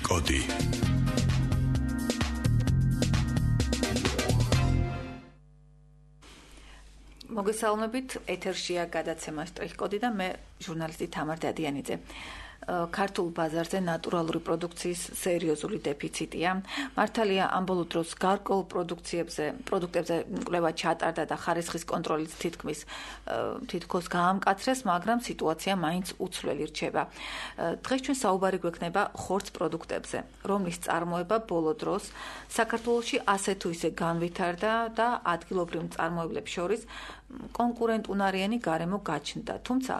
კოდი. მოგესალმებით, ეთერშია გადაცემა სტრიქ-კოდი და მე ჟურნალისტი თამარ დადიანიძე. ქართულ ბაზარზე ნატურალური პროდუქციის სერიოზული დეფიციტია. მართალია ამ ბოლო დროს გარკვეულ პროდუქტებზე კვლევა ჩატარდა და ხარისხის კონტროლიც თითქოს გაამკაცრეს, მაგრამ სიტუაცია მაინც უცვლელი რჩება. დღეს ჩვენ საუბარი გვექნება ხორცს პროდუქტებზე, რომლის წარმოება ბოლო დროს საქართველოში ასე თუ ისე განვითარდა და ადგილობრივ მწარმოებლებს შორის კონკურენტუნარიანი გარემო გაჩნდა. თუმცა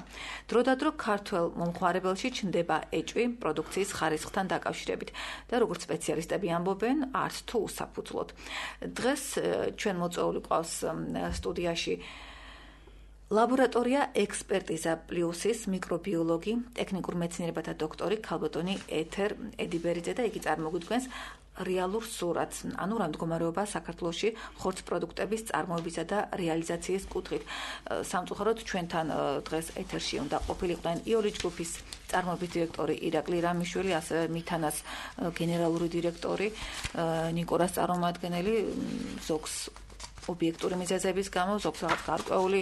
დროდადრო ქართველ მომხმარებელში ჩნდება ეჭვი პროდუქციის ხარისხთან დაკავშირებით და როგორც სპეციალისტები ამბობენ, არც თუ უსაფუძვლოდ. დღეს ჩვენ მოწვეული ყავს სტუდიაში ლაბორატორია ექსპერტიზა პლუსის მიკრობიოლოგი, ტექნიკურ მეცნიერებათა დოქტორი ქალბატონი ეთერ ედიბერიძე და იგი წარმოგვიდგენს რეალურ სურათს, ანუ რა მდგომარეობა საქართველოში ხორცს პროდუქტების წარმოებისა და რეალიზაციის კუთხით. სამწუხაროდ ჩვენთან დღეს ეთერში უნდა ყოფილიყვნენ იური ჯგუფის წარმოების დირექტორი ირაკლი რამიშვილი, ასევე მითანას გენერალური დირექტორი ნიკორას წარმომადგენელი, ზოგს ობიექტური მიზეზების გამო, ზოგს რაღაც გარკვეული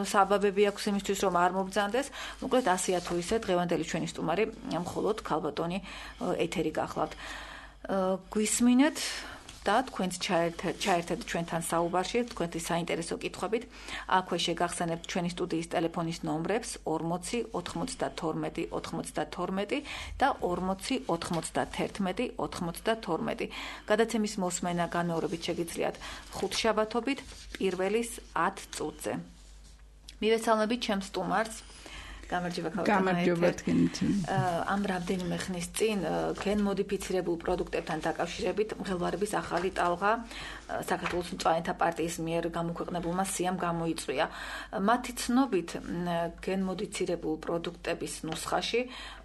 საბაბები აქვს იმისთვის, რომ არ მობრძანდეს. მოკლედ ასეა თუ ისე დღევანდელი ჩვენი სტუმარი მხოლოდ ქალბატონი ეთერი გახლავთ. გვისმინეთ და თქვენც ჩაერთეთ ჩვენთან საუბარში, თქვენი საინტერესო კითხვებით. აქვე შეგახსენებთ ჩვენი სტუდიის ტელეფონის ნომრებს 40 92 92 და 40 91 92. გადაცემის მოსმენა განმეორებით შეგიძლიათ ხუთშაბათობით პირველის 10 წუთზე. მივესალმებით ჩემს სტუმარს. გამარჯობა თქვენთან. ამ რამდენიმე ხნის წინ გენმოდიფიცირებულ პროდუქტებთან დაკავშირებით მღელვარების ახალი ტალღა საქართველოს მწვანეთა პარტიის მიერ გამოქვეყნებულმა სიამ გამოიწვია. მათი ცნობით გენმოდიფიცირებულ პროდუქტების ნუსხაში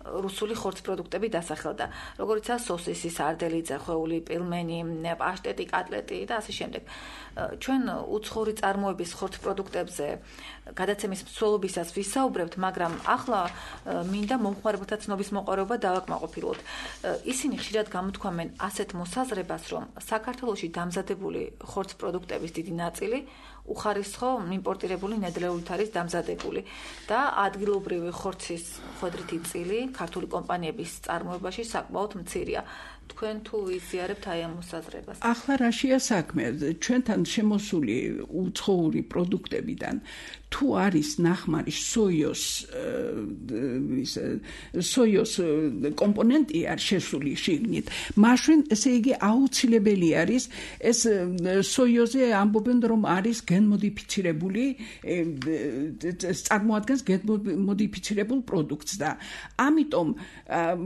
რუსული ხორცს პროდუქტები დასახელდა, როგორიცაა სოსისი, სარდელი, ძეხვეული, პილმენი, პაშტეტი, კატლეტი და ასე შემდეგ. ჩვენ უცხოური წარმოების ხორცს პროდუქტებზე გადაცემის მსვლელობისას ვისაუბრებთ, მაგრამ ახლა მინდა მომხმარებელთა ცნობის მოყარება დავაკმაყოფილოთ. ისინი ხშირად გამოთქვამენ ასეთ მოსაზრებას, რომ საქართველოში დამზადებული ხორცს პროდუქტების დიდი ნაწილი უხარისხო იმპორტირებული ნედლეულით არის დამზადებული და ადგილობრივი ხორცის ხვედრითი წილი ქართული კომპანიების წარმოებაში საკმაოდ მცირეა. თქვენ თუ იზიარებთ აი ამ მოსაზრებას? ახლა რაშია საქმე? ჩვენთან შემოსული უცხოური პროდუქტებიდან თუ არის ნახმარი სოიოს კომპონენტი არ შესული შიგნით, მაშინ ესე იგი აუცილებელი არის ეს სოიოზე ამბობენ, რომ არის გენმოდიფიცირებული, წარმოადგენს გენმოდიფიცირებულ პროდუქტს და ამიტომ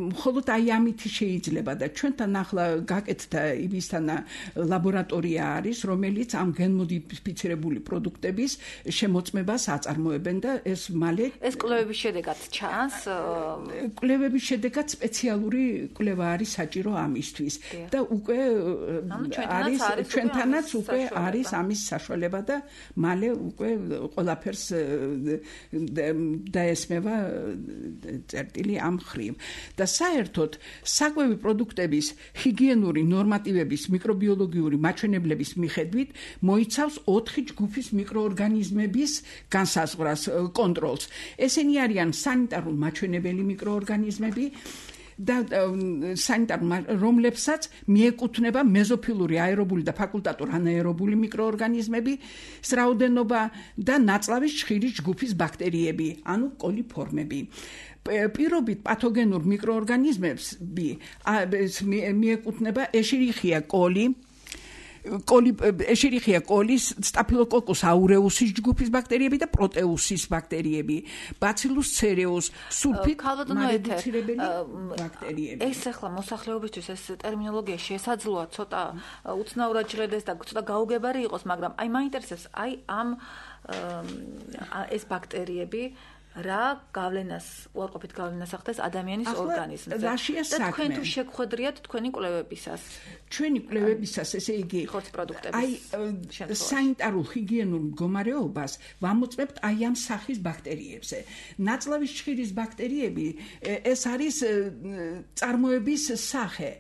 მხოლოდ აი ამით შეიძლება და ჩვენთან ახლა გაკეთდა იმისთან ლაბორატორია არის, რომელიც ამ გენმოდიფიცირებული პროდუქტების შემოწმებას აწარმოებენ და ეს მალე ეს კვლევების შედეგად ჩანს. კვლევების შედეგად სპეციალური კვლევა არის საჭირო ამისთვის და უკვე არის ჩვენთანაც უკვე არის ამის საშუალება და მალე უკვე ყველაფერს დაესმევა წერტილი ამ ხრივ და საერთოდ საკვები პროდუქტების ჰიგიენური ნორმატივების მიკრობიოლოგიური მაჩვენებლების მიხედვით მოიცავს 4 ჯგუფის მიკროორგანიზმების განსაზღვრას კონტროლს. ესენი არიან სანიტარულ მაჩვენებელი მიკროორგანიზმები და რომლებსაც მიეკუთვნება მეზოფილური აერობული და ფაკულტატურ ანაერობული მიკროორგანიზმები, რაოდენობა და ნაწლავის ჭხირის ჯგუფის ბაქტერიები, ანუ კოლიფორმები. პირობით პათოგენურ მიკროორგანიზმებს მიეკუთვნება ეშერიხია კოლი, ეშერიხია კოლის, სტაფილოკოკუს აურეუსის ჯგუფის ბაქტერიები და პროტეუსის ბაქტერიები, ბაცილუს ცერეუს, სულფიდ მარედუცირებელი ბაქტერიები. ეს ახლა მოსახლეობისთვის ეს ტერმინოლოგია შესაძლოა ცოტა უცნაურად ჟღერდეს და ცოტა გაუგებარი იყოს, მაგრამ აი მაინტერესებს აი ამ ეს ბაქტერიები რა გავლენას, უარყოფით გავლენას ახდენს ადამიანის ორგანიზმზე. და თქვენ თუ შეგხვედრიათ თქვენი კვლევებისას. ჩვენი კვლევებისას ესე იგი სანიტარულ ჰიგიენურ მდგომარეობას ვამოწმებთ აი ამ სახის ბაქტერიებზე. ნაწლავის ჭხირის ბაქტერიები ეს არის წარმოების სახე,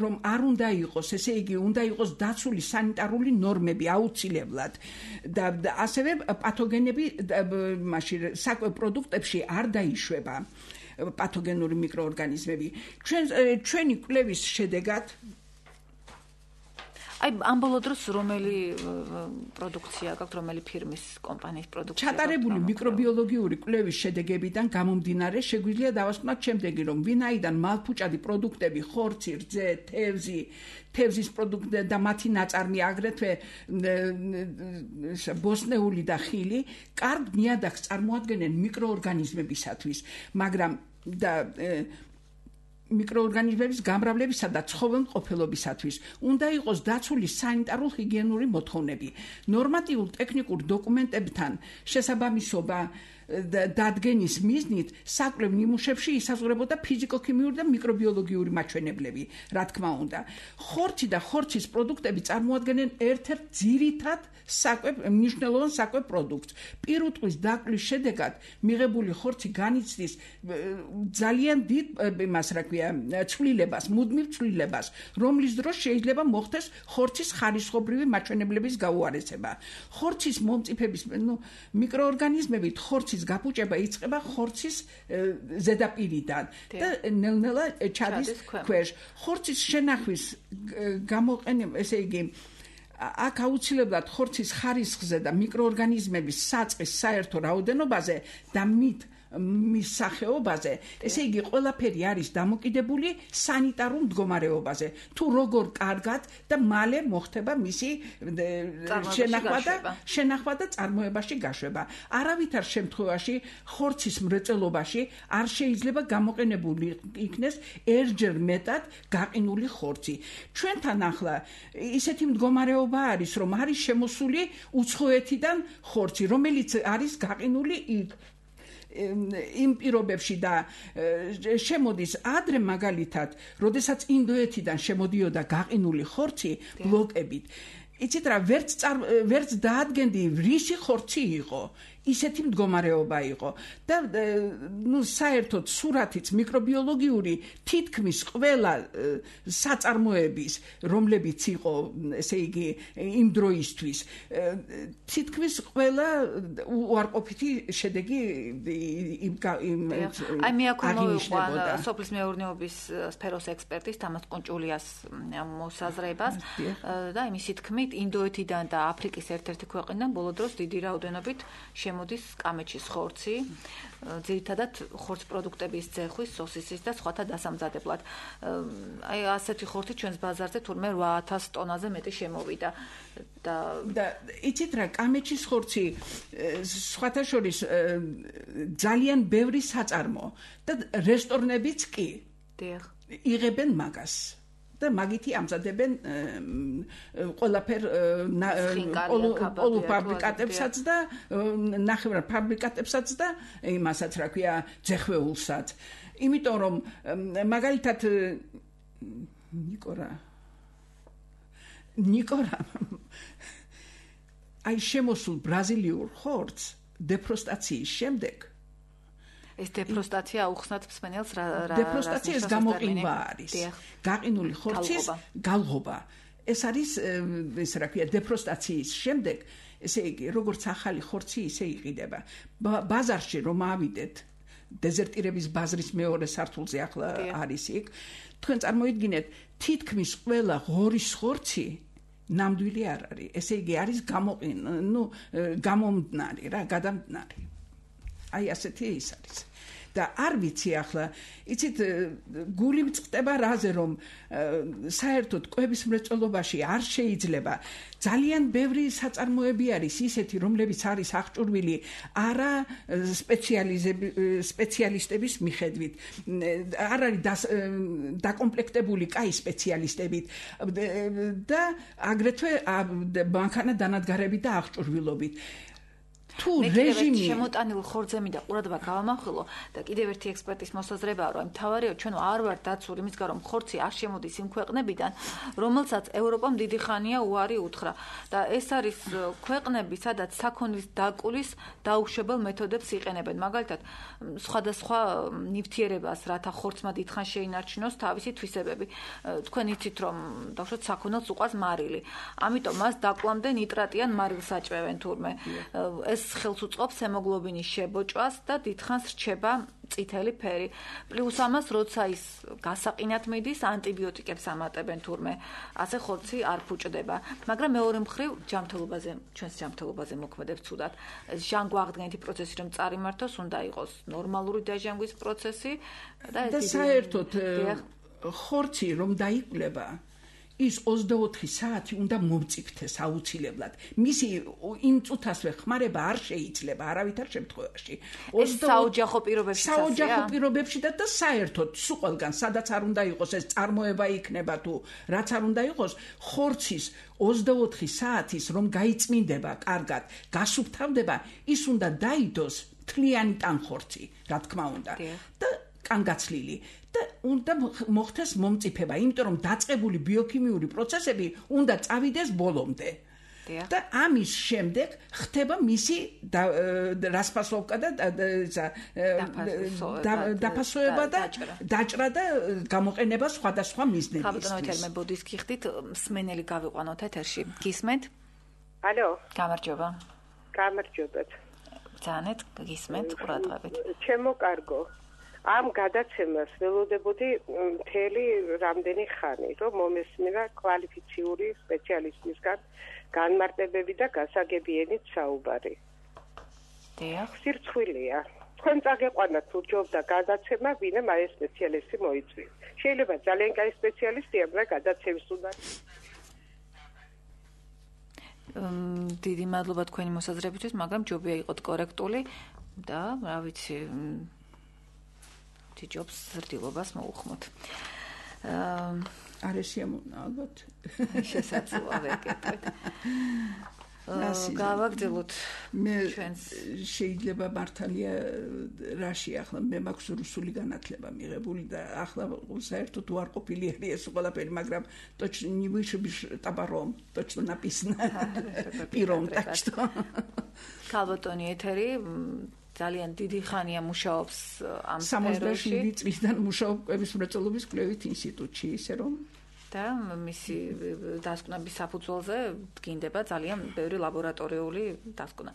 რომ არ უნდა იყოს, ესე იგი უნდა იყოს დაცული სანიტარული ნორმები აუცილებლად და ასევე პათოგენები მაშინ საკვებ პროდუქტებში არ დაიშვება პათოგენური მიკროორგანიზმები. ჩვენი კვლევის შედეგად აი ამ ბოლო დროს რომელი პროდუქცია გაქვთ, რომელი ფირმის კომპანიის პროდუქცია? ჩატარებული მიკრობიოლოგიური კვლევის შედეგებიდან გამომდინარე შეგვიძლია დავასკვნათ შემდეგი, რომ ვინაიდან მალფუჭადი პროდუქტები, ხორცი, რძე, თევზის პროდუქტები და მათი ნაწარმი აგრეთვე ბოსტნეული და ხილი კარგ ნიადაგს წარმოადგენენ მიკროორგანიზმებისათვის, მაგრამ და მიკროორგანიზმების გამრავლებისა და ცხოველმყოფელობისათვის უნდა იყოს დაცული სანიტარულ ჰიგიენური მოთხოვნები. ნორმატიულ ტექნიკურ დოკუმენტებთან შესაბამისობა დადგენის მიზნით საკვლევ ნიმუშებში ისაზღვრებოდა ფიზიკო-ქიმიური და მიკრობიოლოგიური მაჩვენებლები, რა თქმა უნდა. ხორცი და ხორცის პროდუქტები წარმოადგენენ ერთ-ერთ ძირითად მნიშვნელოვან საკვებ პროდუქტს. პირუტყვის დაკვლის შედეგად მიღებული ხორცი განიცდის ძალიან დიდ ცვლილებას, მუდმივ ცვლილებას, რომლის დროს შეიძლება მოხდეს ხორცის ხარისხობრივი მაჩვენებლების გაუარესება. ხორცის მომწიფების მიკროორგანიზმებით ხორცის გაფუჭება იწყება ხორცის ზედაპირიდან და ნელ-ნელა ჩადის ქვეშ. ხორცის შენახვის გამოყენება, ესე იგი აქ აუცილებლად ხორცის ხარისხზე და მიკროორგანიზმების საწყის საერთო რაოდენობაზე და მის სახეობაზე, ესე იგი ყველაფერი არის დამოკიდებული სანიტარულ მდგომარეობაზე. თუ როგორ კარგად და მალე მოხდება მისი შენახვა და წარმოებაში გაშვება. არავითარ შემთხვევაში ხორცის მრეწველობაში არ შეიძლება გამოყენებული იქნეს ერთჯერ მეტად გაყინული ხორცი. ჩვენთან ახლა ისეთი მდგომარეობა არის, რომ არის შემოსული უცხოეთიდან ხორცი, რომელიც არის გაყინული იმ პირობებში და შემოდის ადრე მაგალითად, როდესაც ინდოეთიდან შემოდიოდა გაყინული ხორცი ბლოკებით. იცით რა, ვერც დაადგენდი რისი ხორცი იყო, ისეთი მდგომარეობა იყო და საერთოდ სურათიც მიკრობიოლოგიური თითქმის ყველა საწარმოების, რომლებიც იყო, ესე იგი, იმ დროისთვის, თითქმის ყველა უარყოფითი შედეგი აი მე აქ მოვიყვან სოფლის მეურნეობის სფეროს ექსპერტის თამაზ ყუნჭულიას მოსაზრებას და იმისი თქმით, ინდოეთიდან და აფრიკის ერთ-ერთი ქვეყნიდან ბოლო დროს დიდი რაოდენობით მოდის კამეჩის ხორცი, ძირითადად ხორც პროდუქტების ძეხვის, სოსისის და სხვათა დასამზადებლად. აი ასეთი ხორცი ჩვენს ბაზარზე თურმე 8000 ტონაზე მეტი შემოვიდა და იცით რა, კამეჩის ხორცი სხვათა შორის ძალიან ბევრი საწარმო და რესტორნებიც კი იღებენ მაგას. და მაგითი ამზადებენ ყველაფერ პოლუფაბრიკატებსაც და ნახევრად ფაბრიკატებსაც და იმასაც რა ქვია ძეხვეულსაც. იმიტომ რომ მაგალითად ნიკორა აი შემოსულ ბრაზილიურ ხორცს დეფროსტაციის შემდეგ ეს დეფროსტაცია აუხსნათ მსმენელს რა დეფროსტაციის გამოყენება არის. გაყინული ხორცის გალღობა. ეს არის ეს რა ქვია დეფროსტაციის შემდეგ, ესე იგი, როგორც ახალი ხორცი ისე იყიდება. ბაზარში რომ ავიდეთ, დეზერტირების ბაზრის მეორე სართულზე ახლა არის იქ, თქვენ წარმოიდგინეთ, თითქმის ყველა ღორის ხორცი ნამდვილი არ არის. ესე იგი, არის გამომდნარი რა, გადამდნარი. აი ასეთი ის არის. და არ ვიცი ახლა, იცით, გული მწყდება რაზე, რომ საერთოდ კვების მრეწველობაში არ შეიძლება. ძალიან ბევრი საწარმოები არის ისეთი, რომლებიც არის აღჭურვილი არა სპეციალისტების მიხედვით. არ არის დაკომპლექტებული კაი სპეციალისტებით და აგრეთვე მანქანა დანადგარებით და აღჭურვილობით. თუ რეჟიმი შემოტანილ ხორცზე მინდა ყურადღება გავამახვილო და კიდევ ერთი ექსპერტის მოსაზრებაა, რომ თავარიო ჩვენ არ ვართ დაცული იმისგან, რომ ხორცი არ შემოდის იმ ქვეყნებიდან, რომელსაც ევროპამ დიდი ხანია უარი უთხრა და ეს არის ქვეყნები, სადაც საქონლის დაკულის დაუშვებელ მეთოდებს იყენებენ. მაგალითად, სხვადასხვა ნივთიერებას, რათა ხორცმა დიდხან შეინარჩუნოს თავისი თვისებები. თქვენ იცით, რომ დავუშვათ საქონელს უყვას მარილი. ამიტომ მას დაკლამდე ნიტრატიან მარილს აჭვევენ თურმე. ეს ხელს უწყობს ჰემოგლობინის შებოჭვას და დიდხანს რჩება წითელი ფერი. პლუს ამას, როცა ის გასაყინად მიდის, ანტიბიოტიკებს ამატებენ თურმე. ასე ხორცი არ ფუჭდება. მაგრამ მეორე მხრივ, ჩვენს ჯანმრთელობაზე მოქმედებს ცუდად. ჟანგვა აღდგენითი პროცესი რომ წარიმართოს, უნდა იყოს ნორმალური დაჟანგვის პროცესი და საერთოდ ხორცი რომ დაიკვლება ის 24 საათი უნდა მომწიფდეს აუცილებლად. მისი იმ წუთასვე ხმარება არ შეიძლება არავითარ შემთხვევაში. საოჯახო პირობებში და საერთოდ სულ ყველგან, სადაც არ უნდა იყოს ეს წარმოება იქნება თუ რაც არ უნდა იყოს, ხორცის 24 საათის რომ გაიწმინდება კარგად, გასუფთავდება, ის უნდა დაიდოს თლიანი ტანხორცი, რა თქმა უნდა. და კანგაცლილი და უნდა მოხდეს მომწიფება, იმიტომ რომ დაწყებული ბიოქიმიური პროცესები უნდა წავიდეს ბოლომდე. და ამის შემდეგ ხდება მისი რასპასოვკა და დაფასოება და დაჭრა და გამოყენება სხვადასხვა მიზნებისთვის. ხაბატონოთელმე ბოდის გიხდით, მსმენელი გავიყვანოთ ეთერში. გისმენთ? ალო. გამარჯობა. გამარჯობათ. ბრძანეთ, გისმენთ ყურადღებით. ჩემო კარგო. ამ გადაცემას ველოდებოდი მთელი რამდენი ხანი, რომ მომესმინა კვალიფიციური სპეციალისტისგან განმარტებები და გასაგებიენით საუბარი. დიახ. სირცხვილია. თქვენ წაგეყვანათ თუ ჯობდა გადაცემა, ვინმე ეს სპეციალისტი მოიწვიეს. შეიძლება ძალიან კაი სპეციალისტია, მაგრამ გადაცემის უნდა დიდი მადლობა თქვენი მოსაზრებისთვის, მაგრამ ჯობია იყოთ კორექტული და რა ვიცი ჯობს ზრდილობას მოუხმოთ. არ შეამონა ალბათ. შესაძლოა ვეკეთოთ. გავაგრძელოთ ჩვენს შეიძლება მართალია რაში ახლა მე მაქვს რუსული განათლება მიღებული და ახლა საერთოდ უარყოფილია ეს ყველაფერი, მაგრამ точно не выше табором, точно написано. Пиром, так что. ქალბატონი ეთერი ძალიან დიდი ხანია მუშაობს ამ სფეროში. 67 წლიდან მუშაობს კვების მრეწველობის კვლევით ინსტიტუტში, ისე რომ და მისი დასკვნების საფუძველზე დგინდება ძალიან ბევრი ლაბორატორიული დასკვნა.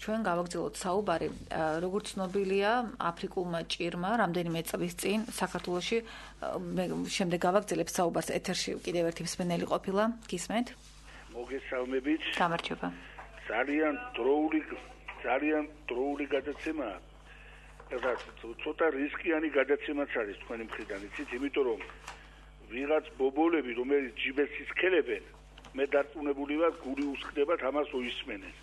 ჩვენ გავაგრძელოთ საუბარი, როგორც ცნობილია, აფრიკულმა ჭირმა რამდენიმე წლის წინ საქართველოში შემდეგ გავაგრძელებ საუბარს ეთერში კიდევ ერთი მსმენელი ყოფილა. გისმენთ? მოგესალმებით. გამარჯობა. ძალიან დროული გადაცემაა. და ცოტა რისკიანი გადაცემაც არის თქვენი მხრიდან, იცით, იმიტომ რომ ვიღაც ბობოლები, რომელიც ჯიბეს ისქელებენ, მე დარწმუნებული ვარ, გული უსხდებათ ამას უისმენენ.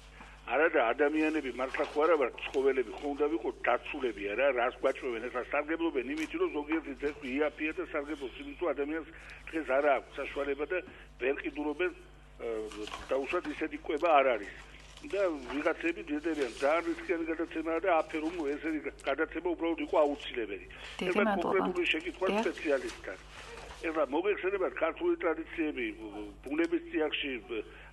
არა და ადამიანები მართლა ხო არა ვარ, ცხოველები ხო უნდა ვიყოთ დაცულები არა, რას გვაჭვევენ, ეხლა სარგებლობენ იმით, რომ ზოგიერთი ძეხვი იაფია და სარგებლობს იმით, რომ ადამიანს დღეს არა აქვს საშუალება და ვერ ყიდულობენ დაუშვათ ისეთი კვება არ არის. და ვიღაცები ძებდებიან ძალიან რისკიანი გადაცემაა და აფერუმ ესეთი გადაცემა უბრალოდ იყო აუცილებელი. ეხლა კონკრეტული შეკითხვა სპეციალისტთან. ეხლა მოგეხსენებათ ქართული ტრადიციები ბუნების წიაღში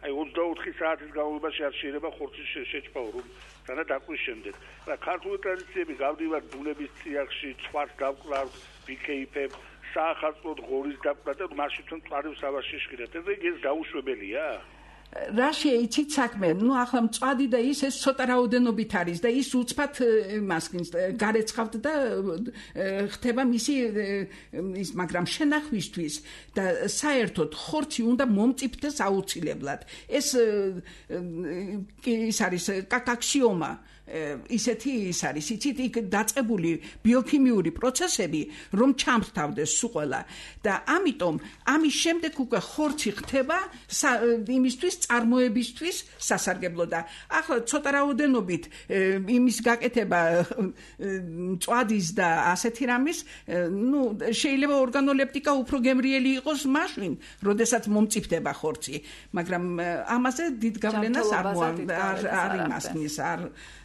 აი 24 საათის განმავლობაში არ შეიძლება ხორცის შეჭპაო რომ თანა დაკვის შემდეგ. ეხლა ქართული ტრადიციები გავდივართ ბუნების წიაღში, ცხვარს დავკლავთ, ვიქეიფებ, საახალწლოდ ღორის დაკვრა და მაშინ თვითონ წვარის სავარში შეხირეთ. ეს დაუშვებელია? რა შეიცით საქმე? ნუ ახლა მწვადი და ეს ცოტა რაოდენობით არის და ის უცბად იმასკინს გარეცხავთ და ხდება მისი ის, მაგრამ შენახვისთვის და საერთოდ ხორცი უნდა მომწიფდეს აუცილებლად. ეს არის კაკაქსიომა. ისეთი ის არის, იცით, იქ დაწყებული ბიოქიმიური პროცესები, რომ ჩამრთავდეს სულ ყველა და ამიტომ ამის შემდეგ უკვე ხორცი ხდება იმისთვის წარმოებისთვის სასარგებლო და ახლა ცოტა რაოდენობით იმის გაკეთება მწვადის და ასეთი რამის, შეიძლება ორგანოლეპტიკა უფრო გემრიელი იყოს მაშინ, როდესაც მომწიფდება ხორცი, მაგრამ ამაზე დიდ გავლენას არ იმასნის, არ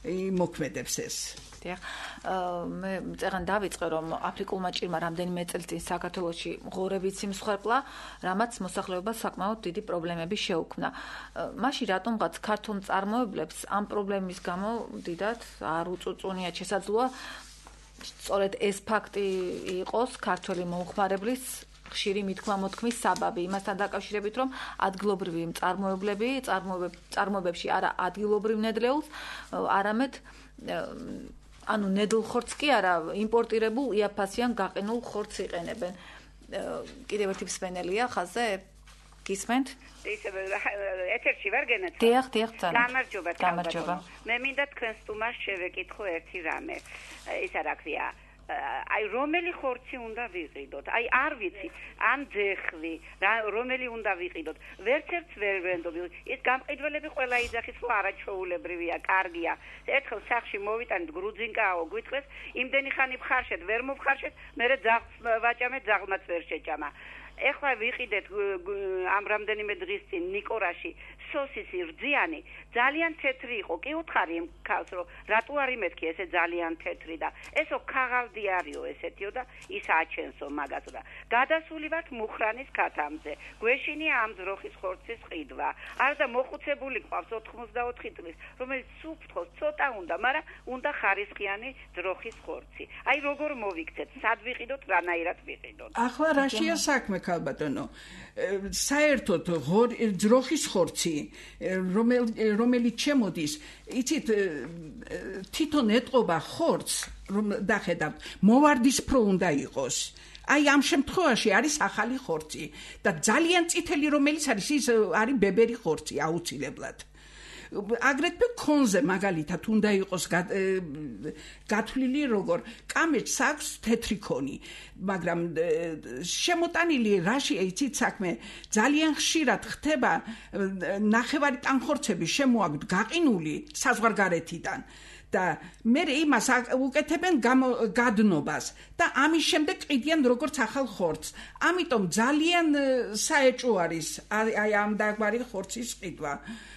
მოქმედებს ეს. მე წეგან დავიწყე რომ აფრიკულმა ჭირმა რამდენიმე წელს წინ საქართველოში ღორებიც იმსხვერპლა, რამაც მოსახლეობას საკმაოდ დიდი პრობლემები შეუქმნა. მაშინ რატომღაც ქართულ მწარმოებლებს ამ პრობლემის გამო დიდად არ უწუწუნიათ შესაძლოა სწორედ ეს ფაქტი იყოს ქართველი მომხმარებლის ხშირი მithქმა-მოთქმის საბაბი, იმასთან დაკავშირებით, რომ ადგილობრივი მწარმოებლები წარმოებებში არა ადგილობრივ ნედლეულს, არამედ ანუ ნედლ ხორცს კი არა, იმპორტირებულ იაფასიან გაყინულ ხორცს იყენებენ. კიდევ ერთი მსმენელია ხაზზე? გისმენთ? ეთერში ვარ გენეთ. დიახ, გამარჯობა. მე მინდა თქვენ სტუმარს შევეკითხო ერთი რამე. ის რა ქვია? აი რომელი ხორცი უნდა ვიყიდოთ? აი არ ვიცი, ან ძეხვი, რომელი უნდა ვიყიდოთ? ვერცერთს ვერ ვენდობ. ის გამყიდველები ყველა იძახის, რომ არაჩვეულებრივია, კარგია. ერთხელ სახში მოვიტანით გრუძინკაო, გვითხრეს, იმდენი ხანი ვხარშეთ, ვერ მოვხარშეთ, მერე ძაღლს ვაჭამეთ, ძაღლმაც ვერ შეჭამა. ეხლა ვიყიდეთ ამ რამდენიმე დღის წინ ნიკორაში სოსისი რძიანი, ძალიან თეთრი იყო. კი უთხარი იმ ქალს, რომ რატო არ იმეთქი ესე ძალიან თეთრი და ესო ქაღალდი არისო ესეთიო და ის აჩენსო მაგასო და გადასული ვართ მუხრანის ქათამზე. გვეშინია ამ ძროხის ხორცის ყიდვა. არდა მოხუცებული ყავს 84 წლის, რომელიც სუფთოს ცოტა უნდა, მაგრამ უნდა ხარისხიანი ძროხის ხორცი. აი როგორ მოვიქცეთ, სად ვიყიდოთ, რანაირად ვიყიდოთ? ახლა რაშია საქმე ქალბატონო? საერთოდ ძროხის ხორცი რომელიც შემოდის, იცით, თვითონ ეტყობა ხორცს, რომ დახედავთ, მოვარდისფრო უნდა იყოს. აი ამ შემთხვევაში არის ახალი ხორცი და ძალიან წითელი რომელიც არის, ის არის ბებერი ხორცი აუცილებლად. აგრეთვე კონზე მაგალითად უნდა იყოს გათვლილი როგორ კამეჩს აქვს თეთრი ქონი, მაგრამ შემოტანილი რაში იცით საქმე ძალიან ხშირად ხდება ნახევარი ტანხორცები შემოაქვთ გაყინული საზღვარგარეთიდან და მე იმას უკეთებენ გადნობას და ამის შემდეგ ყიდიან როგორც ახალ ხორცს. ამიტომ ძალიან საეჭვო არის აი ამ დაგვარი ხორცის ყიდვა.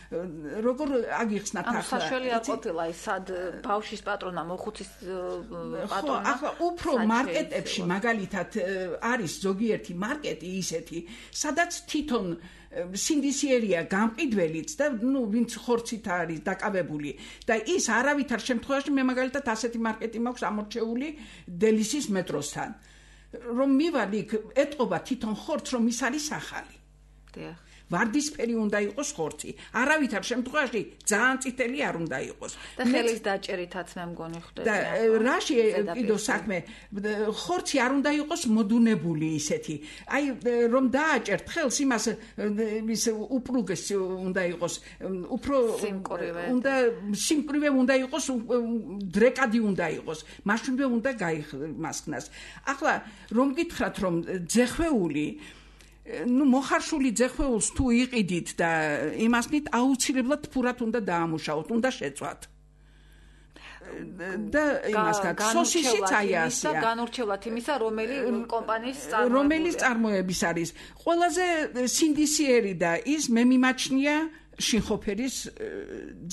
როგორ აგიხსნათ ახლა? საშველი არ ყოფილა ის სად ბავშვის პატრონა, მოხუცის პატრონა. ახლა უფრო მარკეტებში მაგალითად არის ზოგიერთი მარკეტი ისეთი, სადაც თვითონ სინდისიერია გამყიდველიც და ვინც ხორცით არის დაკავებული და ის არავითარ შემთხვევაში მე მაგალითად ასეთი მარკეტი მაქვს ამორჩეული დელისის მეტროსთან. რომ მივალ იქ ეტყობა თვითონ ხორცს, რომ ის არის ახალი. დიახ. ვარდისფერი უნდა იყოს ხორცი. არავითარ შემთხვევაში ძალიან წითელი არ უნდა იყოს. და ხელის დაჭერითაც მე მგონი ხდება. და რაში კიდევ საქმე, ხორცი არ უნდა იყოს მოდუნებული ისეთი. აი რომ დააჭერთ ხელს, იმას ის უპრუგეს უნდა იყოს, უფრო უნდა სიმკვრივე უნდა იყოს, დრეკადი უნდა იყოს. მაშინვე უნდა გაიმასხნას. ახლა რომ გითხრათ რომ ძეხვეული მოხარშული ძეხვეულს თუ იყიდით და იმასნით აუცილებლად ფურად უნდა დაამუშაოთ, უნდა შეწვათ. და იმასთან სოსისიც აი ასეა. განურჩევლად იმისა, რომელიც წარმოების არის. ყველაზე სინდისიერი და ის მე მიმაჩნია შინხოფერის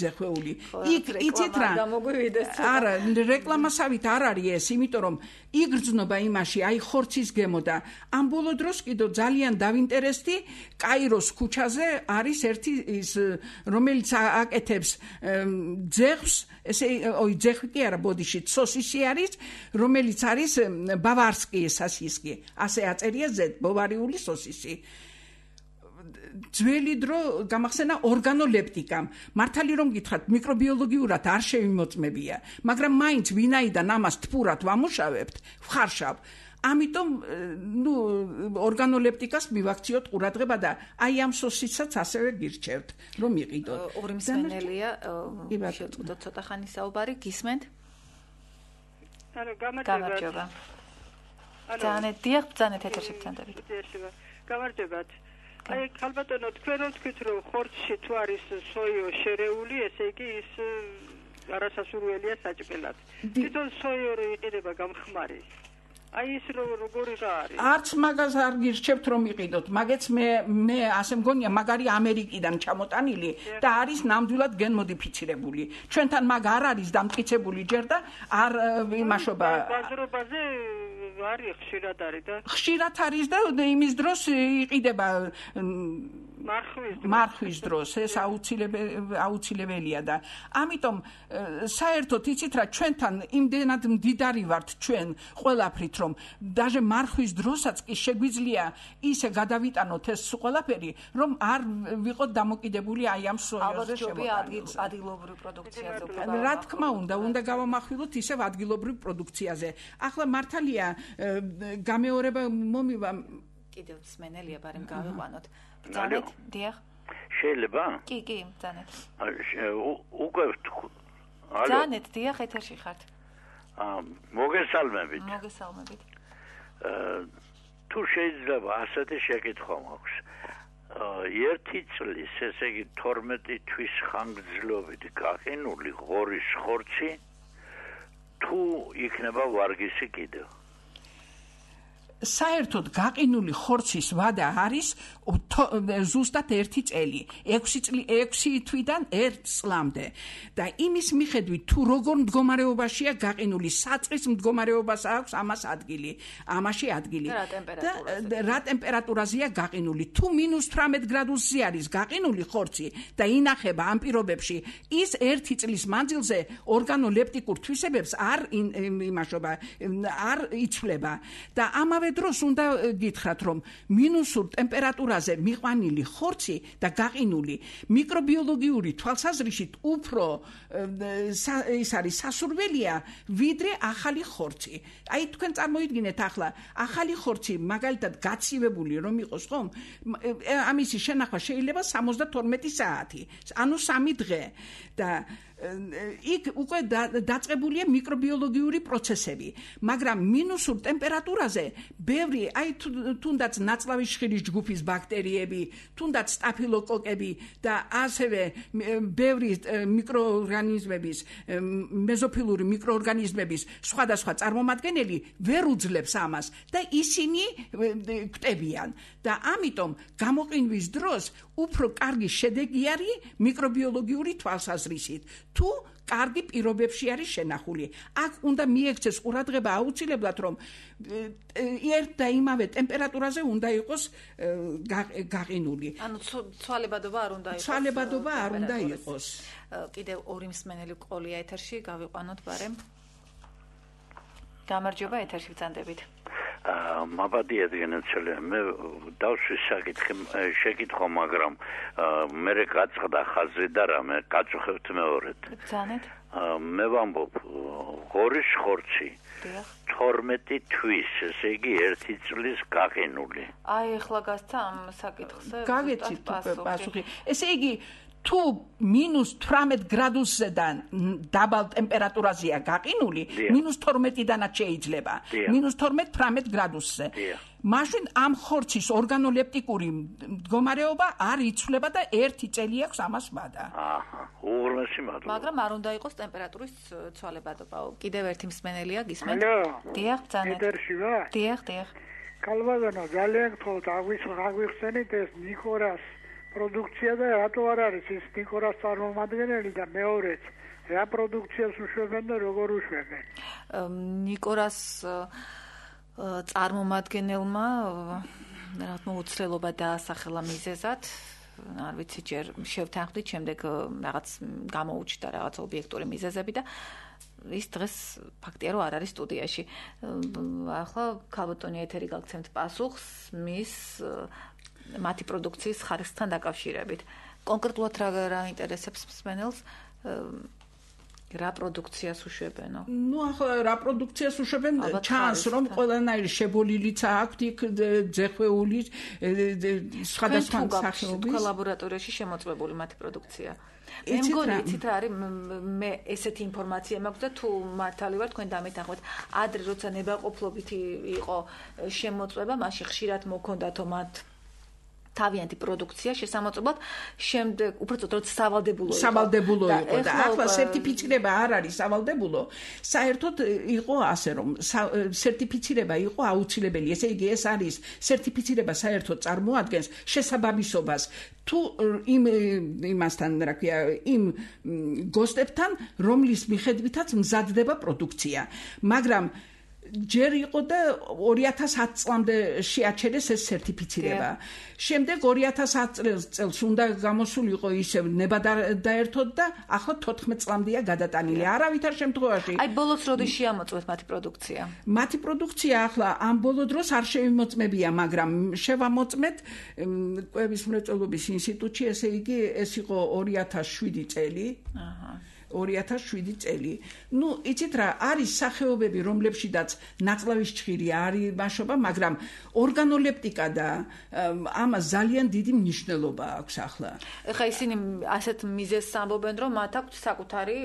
ძეხვეული. იცით რა? არა, რეკლამასავით არ არის ეს, იმიტომ რომ იგრძნობა იმაში, აი ხორცის გემო და ამ ბოლო დროს კიდევ ძალიან დავინტერესდი, კაიროს ქუჩაზე არის ერთი ის, რომელიც აკეთებს ძეხვს, ესე ძეხვი კი არა, ბოდიში სოსისი არის, რომელიც არის ბავარსკი სასისკი. ასე აწერია ზედ, ბავარიული სოსისი. ძველი დრო გამახსენა ორგანოლეპტიკამ. მართალი რომ გითხრათ, მიკრობიოლოგიურად არ შევიმოწმებია, მაგრამ მაინც ვინაიდან ამას თბურად ვამუშავებთ, ვხარშავ. ამიტომ ორგანოლეპტიკას მივაქციოთ ყურადღება და აი ამ სოსისაც ასევე გირჩევთ, რომ იყიდოთ. ორი მსმენელია, შევწყვიტოთ ცოტა ხანი საუბარი, გისმენთ? გამარჯობა. ძალიან ეთერში გწანდებით. გამარჯობათ. აი ქალბატონო, თქვენ რომ თქვით, რომ ხორცში თუ არის სოიო შერეული, ესე იგი ის არასასურველია საჭმელად. თვითონ სოიორი იყიდება გამხმარი. აი ის როგორი რა არის? არც მაგას არ გირჩევთ რომ იყიდოთ, მაგეც მე ასე მგონია, მაგარი ამერიკიდან ჩამოტანილი და არის ნამდვილად გენმოდიფიცირებული. ჩვენთან მაგ არ არის დამტკიცებული ჯერ და არ იმაშობა. ბაზრობაზე არის ხშირად არის და ხშირად არის და იმის დროს იყიდება მარხვის დროს ეს აუცილებელია და ამიტომ საერთოდ იცით რა, ჩვენთან იმდენად მდიდარი ვართ ჩვენ ყველაფრით, რომ даже მარხვის დროსაც კი შეგვიძლია ისე გადავიტანოთ ეს ყველაფერი, რომ არ ვიყოთ დამოკიდებული აი ამ სოიოზე შემოწმებას. ადგილობრივ პროდუქციაზე უფრო. რა თქმა უნდა გავამახვილოთ ისევ ადგილობრივ პროდუქციაზე. ახლა მართალია გამეორება მომივა. კიდევ მსმენელია, ბარემ გავიყვანოთ. ბრძანეთ, დიახ. შეიძლება? კი, ბრძანეთ. უკვე ბრძანეთ, დიახ, ეთერში ხართ. მოგესალმებით. მოგესალმებით. თუ შეიძლება ასეთი შეკითხვა მაქვს. ერთი წლის, ესე იგი 12 თვის ხანგრძლივობით გაყინული ღორის ხორცი თუ იქნება ვარგისი კიდევ? საერთოდ გაყინული ხორცის ვადა არის ზუსტად 1 წელი, 6 თვიდან 1 წლამდე. და იმის მიხედვით თუ როგორ მდგომარეობაშია გაყინული, საწყის მდგომარეობას აქვს ამას ადგილი, ამაში ადგილი. და რა ტემპერატურაზეა გაყინული. თუ -18 გრადუსზე არის გაყინული ხორცი და ინახება ამ პირობებში, ის 1 წლის მანძილზე ორგანოლეპტიკურ თვისებებს არ იმაშობა, არ იცვლება. და ამავე დროს უნდა გითხრათ, რომ მინუსურ ტემპერატურაზე მიყვანილი ხორცი და გაყინული მიკრობიოლოგიური თვალსაზრისით უფრო ის არის სასურველია, ვიდრე ახალი ხორცი. აი თქვენ წარმოიდგინეთ ახლა, ახალი ხორცი მაგალითად გაცივებული რომ იყოს, ხომ? ამისი შენახვა შეიძლება 72 საათი, ანუ 3 დღე და იქ უკვე დაწყებულია მიკრობიოლოგიური პროცესები, მაგრამ მინუსურ ტემპერატურაზე ბევრი, აი თუნდაც ნაწლავის შხირის ჯგუფის ბაქტერიები, თუნდაც სტაფილოკოკები და ასევე ბევრი მიკროორგანიზმების, მეზოფილური მიკროორგანიზმების სხვადასხვა წარმომადგენელი ვერ უძლებს ამას და ისინი კვდებიან და ამიტომ გამოყინვის დროს უფრო კარგი შედეგი არის მიკრობიოლოგიური თვალსაზრისით. თუ კარგი პირობებში არის შენახული. აქ უნდა მიექცეს ყურადღება აუცილებლად, რომ ერთ და იმავე ტემპერატურაზე უნდა იყოს გაყინული. ანუ ცვალებადობა არ უნდა იყოს. ცვალებადობა არ უნდა იყოს. კიდევ ორი მსმენელი ყოლია ეთერში, გავიყვანოთ ბარემ. გამარჯობა, ეთერში ვწანდებით. მაბადია დგენაცელე, მე დავსვი შეკითხვა, მაგრამ მე გაწყდა ხაზი და რამე გაწუხებთ მეორედ. ბრძანეთ. მე ვამბობ, ღორის ხორცი 12 თვის, ესე იგი 1 წლის გაყინული. აი ახლა გასცა ამ საკითხზე. გაგეცით პასუხი. ესე იგი თუ -18 გრადუსიდან დაბალ ტემპერატურაზეა გაყინული, -12-დანაც შეიძლება, -12-18 გრადუსზე. მაშინ ამ ხორცის ორგანოლეპტიკური მდგომარეობა არ იცვლება და 1 წელი აქვს ამას ვადა. უღრმესი მადლობა. მაგრამ არ უნდა იყოს ტემპერატურის ცვალებადობა. კიდევ ერთი მსმენელია, გისმენთ? დიახ, ბრძანეთ. დიახ. ქალბატონო, ძალიან გთხოვთ, აგვიხსენით ეს ნიკორას პროდუქცია და რატო არ არის ის ნიკორას წარმომადგენელი და მეორეც რა პროდუქციას უშვებენ და როგორ უშვებენ? ნიკორას წარმომადგენელმა რა თქმა უნდა უცვლელობა დაასახელა მიზეზად, არ ვიცი, ჯერ შევთანხმდით, შემდეგ რაღაც გამოუჩნდა რაღაც ობიექტური მიზეზები და ის დღეს ფაქტია რომ არ არის სტუდიაში. ახლა ქალბატონი ეთერი გაგცემთ პასუხს მის მათი პროდუქციის ხარისხთან დაკავშირებით. კონკრეტულად რა ინტერესებს მსმენელს? რა პროდუქციას უშვებენო? ახლა რა პროდუქციას უშვებენ? ჩანს რომ ყველანაირი შებოლილიც აქვთ იქ ძეხვეული სხვადასხვა სახეობის ლაბორატორიაში შემოწმებული მათი პროდუქცია. მე მგონი იცით რა არის მე ესეთი ინფორმაცია მაქვს და თუ მართალი ვარ თქვენ დამეთანხმეთ ადრე როცა ნებაყოფლობითი იყო შემოწმება მაშინ ხშირად მოქონდათო მათ თავიანთი პროდუქცია შესამოწმებლად შემდეგ უბრალოდ როცა სავალდებულო იყო და ახლა სერტიფიცირება არ არის სავალდებულო საერთოდ იყო ასე რომ სერტიფიცირება იყო აუცილებელი ესე იგი ეს არის სერტიფიცირება საერთოდ წარმოადგენს შესაბამისობას თუ იმასთან რა ქვია იმ გოსტებთან რომლის მიხედვითაც მზადდება პროდუქცია მაგრამ ჯერ იყო და 2010 წლამდე შეაჩერეს ეს სერტიფიცირება. შემდეგ 2010 წელს უნდა გამოსულიყო ისევ ნება დაერთოდ და ახლა 14 წლამდეა გადატანილი. არავითარ შემთხვევაში. აი ბოლოს როდის შეამოწმეთ მათი პროდუქცია? მათი პროდუქცია ახლა ამ ბოლო დროს არ შევიმოწმებია, მაგრამ შევამოწმეთ კვების მრეწველობის ინსტიტუტში, ესე იგი ეს იყო 2007 წელი. 2007 წელი. იცით რა, არის სახეობები, რომლებშიც ნაწლავის ჭხირი არის მაშობა, მაგრამ ორგანოლეპტიკა და ამას ძალიან დიდი მნიშვნელობა აქვს ახლა. ეხლა ისინი ასეთ მიზეზს ამბობენ, რომ მათ აქვს საკუთარი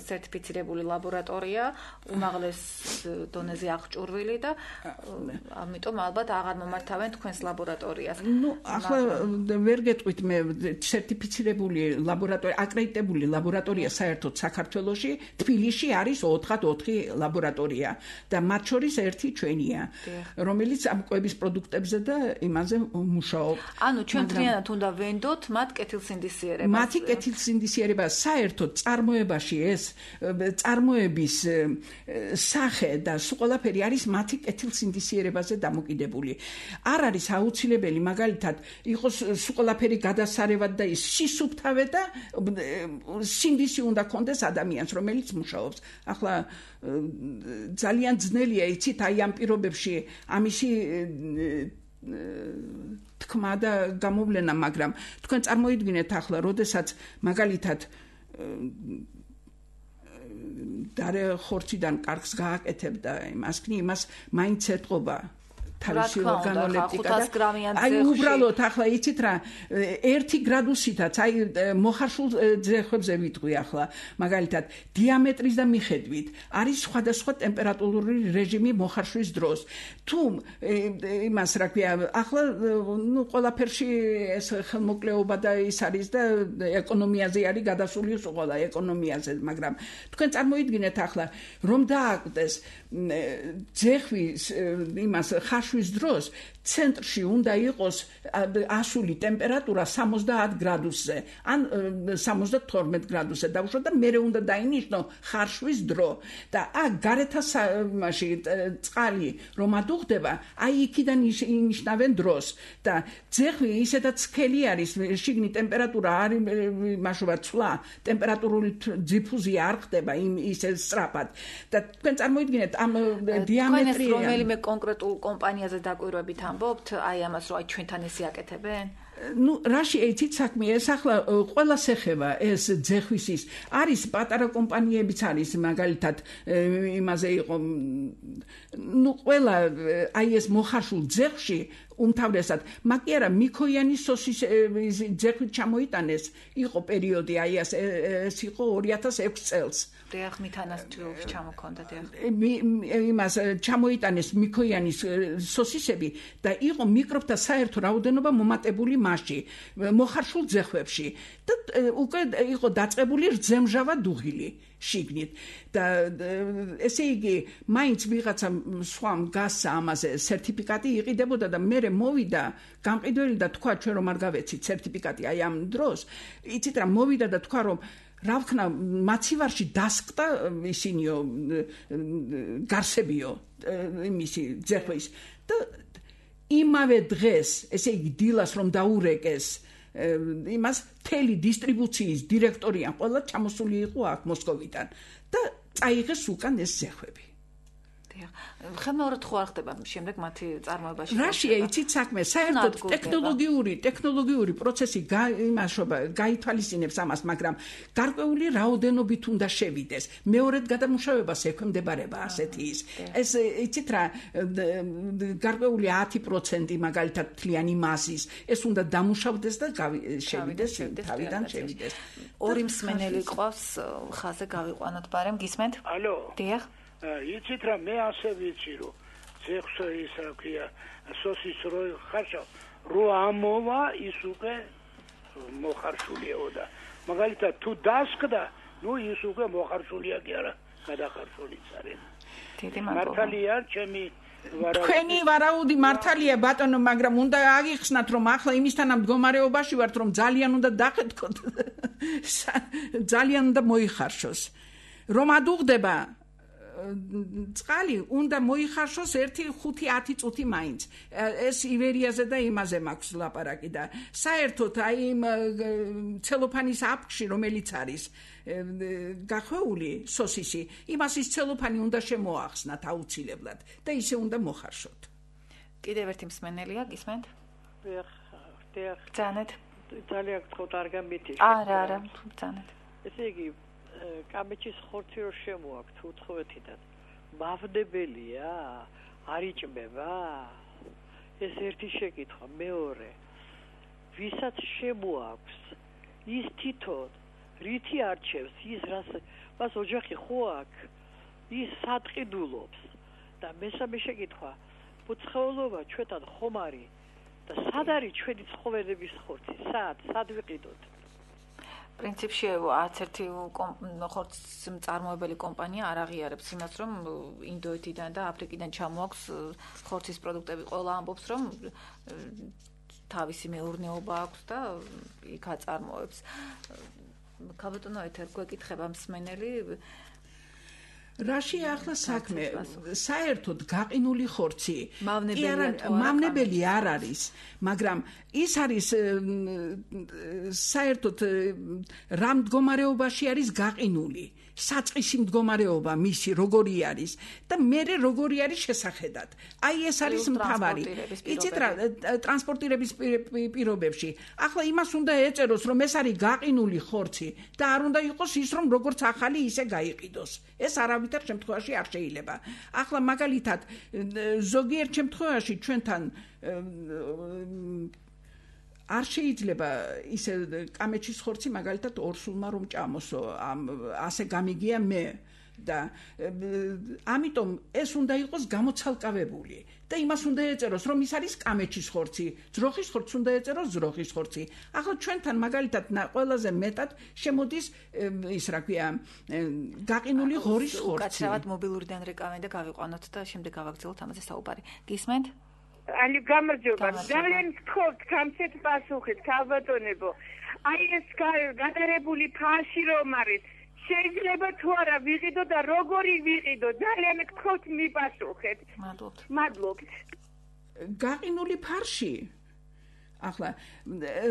სერტიფიცირებული ლაბორატორია, უმაღლეს დონეზე აღჭურვილი და ამიტომ ალბათ აღარ მომართავენ თქვენს ლაბორატორიას. ახლა ვერ გეტყვით მე სერტიფიცირებული ლაბორატორია, აკრედიტებული ლაბორატორია საერთოდ საქართველოში თბილისში არის 4 ლაბორატორია და მათ შორის ერთი ჩვენია რომელიც ამ კვების პროდუქტებზე და იმაზე მუშაობს. ანუ ჩვენ მთლიანად უნდა ვენდოთ მათ კეთილსინდისიერებას. მათი კეთილსინდისიერება საერთოდ წარმოებაში ეს წარმოების სახე და სულ ყველაფერი არის მათი კეთილსინდისიერებაზე დამოკიდებული. არ არის აუცილებელი მაგალითად იყოს სულ ყველაფერი გადასარევად და ის სისუფთავე და სინდისი უნდა კონდეს ადამიანს, რომელიც მუშაობს. ახლა ძალიან ძნელია იცით აი ამ პირობებში ამისი თქმა და გამოვლენა, მაგრამ თქვენ წარმოიდგინეთ ახლა, როდესაც მაგალითად დარე ხორციდან კარგს გააკეთებდა იმას მაინც ეთყობა თავისი ორგანოლეპტიკა და აი უბრალოდ ახლა იცით რა 1 გრადუსითაც აი მოხარშულ ძეხვებზე ვიტყვი ახლა მაგალითად დიამეტრის და მიხედვით არის სხვადასხვა ტემპერატურული რეჟიმი მოხარშვის დროს თუ იმას რა ქვია ახლა ყველაფერში ეს ხელმოკლეობა და ის არის და ეკონომიაზე არის გადასული ყველა ეკონომიაზე მაგრამ თქვენ წარმოიდგინეთ ახლა რომ დააკვდეს ძეხვის იმას ხარშვის დროს ცენტრში უნდა იყოს ასული ტემპერატურა 70 გრადუსზე ან 72 გრადუსზე დაუშვა და მერე უნდა დაინიშნო ხარშვის დრო და აქ გარეთა მასში წყალი რომ ადუღდება აი იქიდან ინიშნავენ დროს და ძეხვი ისედაც სქელი არის შიგნით ტემპერატურა არის მაშობა ცვლა ტემპერატურული დიფუზია არ ხდება ისე სწრაფად და თქვენ წარმოიდგინეთ ამ დიამეტრია რომელიმე კონკრეტულ კომპანიაზე დაკვირვებით ამბობთ აი ამას რომ აი ჩვენთან ესე აკეთებენ რაში იცით საქმე ეს ახლა ყველას ეხება ეს ძეხვისის არის პატარა კომპანიებიც არის მაგალითად იმაზე იყო ყველა აი ეს მოხარშულ ძეხვში უმთავრესად მაგერა მიქოიანის სოსის ძეხვით ჩამოიტანეს იყო პერიოდი აი ეს იყო 2006 წელს დიახ მითანას ჯგუფს ჩამოქონდა დიახ იმას ჩამოიტანეს მიქოიანის სოსისები და იყო მიკრობთა საერთო რაოდენობა მომატებული მასში მოხარშულ ძეხვებში და უკვე იყო დაწყებული რძემჟავა დუღილი შიგნით და ესე იგი მაინც ვიღაცა სხვამ გასცა ამაზე სერტიფიკატი იყიდებოდა და მე მოვიდა გამყიდველი და თქვა ჩვენ რომ არ გავეცით სერტიფიკატი აი ამ დროს იცით რა მოვიდა და თქვა რომ რა ვქნა მაცივარში დასკდა ისინიო გარსებიო იმისი ძეხვის და იმავე დღეს ესე იგი დილას რომ დაურეკეს იმას თელი დისტრიბუციის დირექტორია ყველა ჩამოსული იყო აქ მოსკოვიდან და წაიღეს უკან ეს ძეხვები ხელმეორედ ხო არ ხდება შემდეგ მათი წარმოებაში? რაშია იცით საქმე? საერთოდ ტექნოლოგიური პროცესი გაითვალისწინებს ამას, მაგრამ გარკვეული რაოდენობით უნდა შევიდეს. მეორედ გადამუშავებას ექვემდებარება ასეთი ის. ეს იცით რა, გარკვეული 10% მაგალითად თლიანი მასის, ეს უნდა დამუშავდეს და შევიდეს, თავიდან შევიდეს. ორი მსმენელი ყავს, ხაზე გავიყვანოთ, ბარემ გისმენთ? ალო. დიახ. იცით რა, მე ასე ვიცი, რომ ზექსო ის რა ქვია, სოსის რო ხარშავ, რო ამოვა ის უკვე მოხარშულიაო და მაგალითად თუ დასკდა, ნუ ის უკვე მოხარშულია კი არა, გადახარშულიც არის. დიდი მადლობა. მართალია, ჩემი თქვენი ვარაუდი მართალია ბატონო, მაგრამ უნდა აგიხსნათ, რომ ახლა იმისთანა მდგომარეობაში ვართ, რომ ძალიან უნდა დახეთქოთ. ძალიან უნდა მოიხარშოს. რომ ადუღდება წყალი უნდა მოიხარშოს 1-5-10 წუთი მაინც. ეს ივერიაზე და იმაზე მაქვს ლაპარაკი და საერთოდ აი იმ ცელოფანის აფქში, რომელიც არის გახვეული სოსისი, იმას ის ცელოფანი უნდა შემოახსნათ აუცილებლად და ისე უნდა მოხარშოთ. კიდევ ერთი მსმენელია, გისმენთ? დიახ. ძანეთ. ძალიან გთხოვთ არ გამითიშ. არა, ძანეთ. ესე იგი კამეჩის ხორცი რო შემოაქვთ უთხოვეთიდან მავდებელია, არ იჭმება? ეს ერთი შეკითხვა. მეორე, ვისაც შემოაქვს ის თვითონ რითი არჩევს ის რას ოჯახი ხო აქვს, ის სადყიდულობს. და მესამე შეკითხვა, უცხოელობა ჩვენთან ხომ არის და სად არის ჩვენი ცხოველების ხორცი? სად ვიყიდოთ? პრინციპში არც ერთი ხორცს მწარმოებელი კომპანია არ აღიარებს იმას, რომ ინდოეთიდან და აფრიკიდან ჩამოაქვს ხორცის პროდუქტები. ყველა ამბობს, რომ თავისი მეურნეობა აქვს და იქ აწარმოებს. ქალბატონო ეთერ გვეკითხება მსმენელი, რაშია ახლა საქმე? საერთოდ გაყინული ხორცი მავნებელი არ არის, მაგრამ ის არის საერთოდ რა მდგომარეობაში არის გაყინული, საწყისი მდგომარეობა მისი როგორი არის და მერე როგორი არის შესახედად. აი ეს არის მთავარი. იცით რა, ტრანსპორტირების პირობებში. ახლა იმას უნდა ეწეროს, რომ ეს არის გაყინული ხორცი და არ უნდა იყოს ის, რომ როგორც ახალი ისე გაიყიდოს. ეს არავითარ შემთხვევაში არ შეიძლება. ახლა მაგალითად ზოგიერთ შემთხვევაში ჩვენთან არ შეიძლება ისე კამეჩის ხორცი მაგალითად ორსულმა რომ ჭამოსო, ასე გამიგია მე და ამიტომ ეს უნდა იყოს გამოცალკავებული და იმას უნდა ეწეროს, რომ ის არის კამეჩის ხორცი, ძროხის ხორცი უნდა ეწეროს ძროხის ხორცი. ახლა ჩვენთან მაგალითად ყველაზე მეტად შემოდის ის რა ქვია გაყინული ღორის ხორცი. უკაცრავად მობილურიდან რეკავენ და გავიყვანოთ და შემდეგ გავაგრძელოთ ამაზე საუბარი. გისმენთ? Ani გამარჯობა. ძალიან გთხოვთ გამცეთ პასუხით, ქალბატონებო. აი ეს გადარებული ფაში რომ არის, შეიძლება თუ არა ვიყიდო და როგორი ვიყიდო? ძალიან გთხოვთ მიპასუხეთ. მადლობთ. გაყინული ფარში ახლა